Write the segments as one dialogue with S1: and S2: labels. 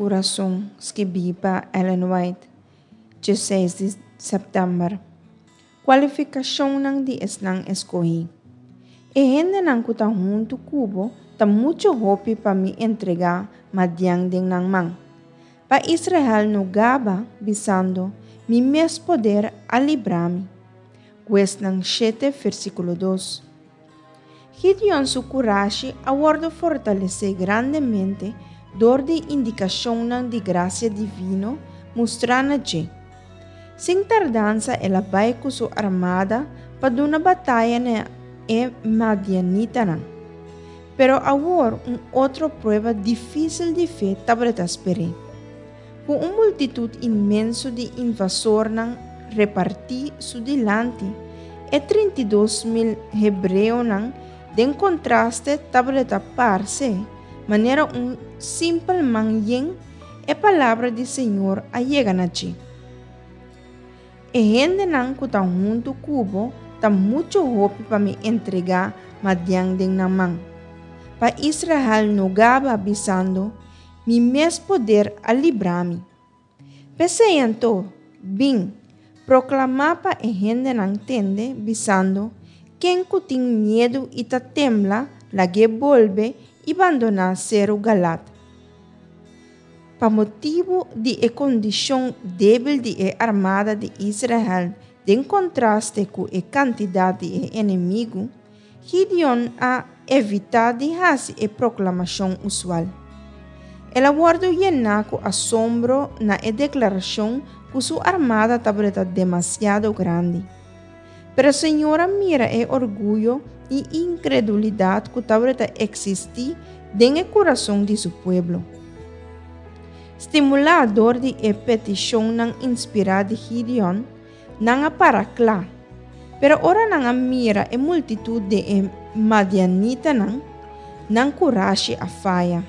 S1: Kurason skibí pa Ellen White, 16 di sèptèmber. Kualifikashonnan di esnan eskohí. E hendenan ku ta huntu ku bo ta muchu hopi pa mi entregá Madian den nan man. Pa Israel no gaba, bisando, Mi mes poder a libra mi. Huesnan shete, versíkulo dos. Gideon su kurashi a wòrdu fortalesé grandemente dor di indikashonnan di grasia divino mustrá na dje. Sin tardansa el a bai ku su armada pa duna bataya na e madianitanan. Pero awor un otro prueba difísil di fe tabata sper'é. Ku un multitut inmenso di invasornan repartí su dilanti, e 32.000 hebreonan den kontraste tabata parse manera un simpel man yen, e palabra di Señor a yega na dje. E hendenan ku ta huntu ku bo ta muchu hopi pa mi entregá Madian den nan man. Pa Israel no gaba, bisando, Mi mes poder a libra mi. P'esei anto, bin, proklamá pa e hendenan tende, bisando, Ken ku tin miedu i ta tembla, lag'é bolbe i bandoná seru Galad. Pa motibu di e kondishon débil di e armada di Israel den kontraste ku e kantidat di e enemigu, Gideon a evitá di hasi e proklamashon usual. El a wòrdu yená ku asombro na e deklarashon ku su armada tabata demasiado grandi. Pero Señor a mira e orguyo i inkredulidat ku tabata eksistí den e kurason di su pueblo. Stimulá dor di e petishonnan inspirá di Gideon, Nan a para kla. Pero ora nan a mira e multitut di e madianitanan, nan kurashi a faya.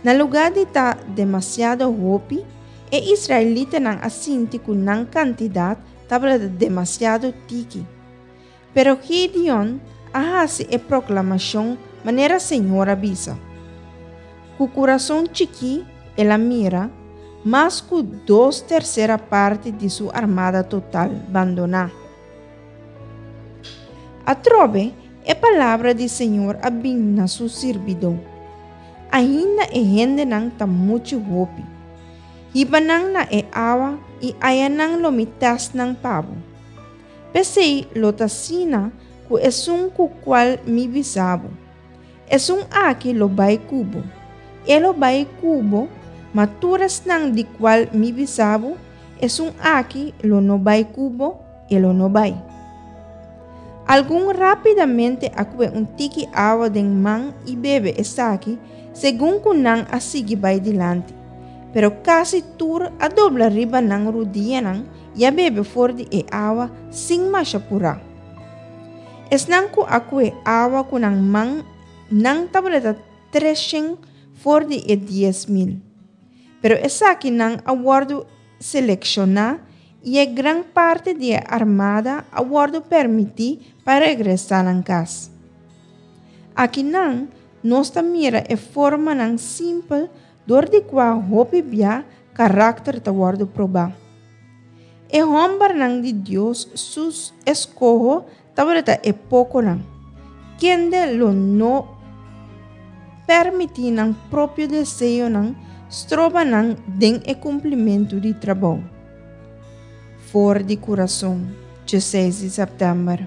S1: Na lugá di ta demasiado hopi, e israelitanan a sinti ku nan kantidat tabata demasiado tiki. Pero Gideon a hasi e proklamashon manera Señor a bisa. Ku kurason chikí el a mira mas ku dos tersera parti di su armada total bandoná. Atrobe e palabra di Señor a bin na su sirbidó, Ainda e hendenan ta muchu hopi. Hiba nan na e awa i ayanan lo mi tèst nan pa bo. P'esei lo ta asina ku esun ku kual mi bisa bo, Esun aki lo bai ku bo, e lo bai ku bo, ma tur esnan di kual mi bisa bo, Esun aki lo no bai ku bo, e lo no bai. Algun rápidamente a kue un tiki awa den man i bebe esaki segun ku nan a sigui bai dilanti, pero kasi tur a dobla riba nan rudianan i a bebe for di e awa sin masha purá. Esnan ku a kue awa ku nan man, nan tabata treshen for di e 10,000. Pero esakinan a wòrdu selekshoná i e gran parti di e armada a wòrdu permití pa regresá nan kas. Akinan nos ta mira e formanan simpel dor di kua hopi bia karakter ta wòrdu probá. E hòmbernan di Dios su eskoho tabata e pokonan, kende lo no pèrmití nan propio deseonan stroba nan den e kumplimentu di trabou. For di kurason, 16 di sèptèmber.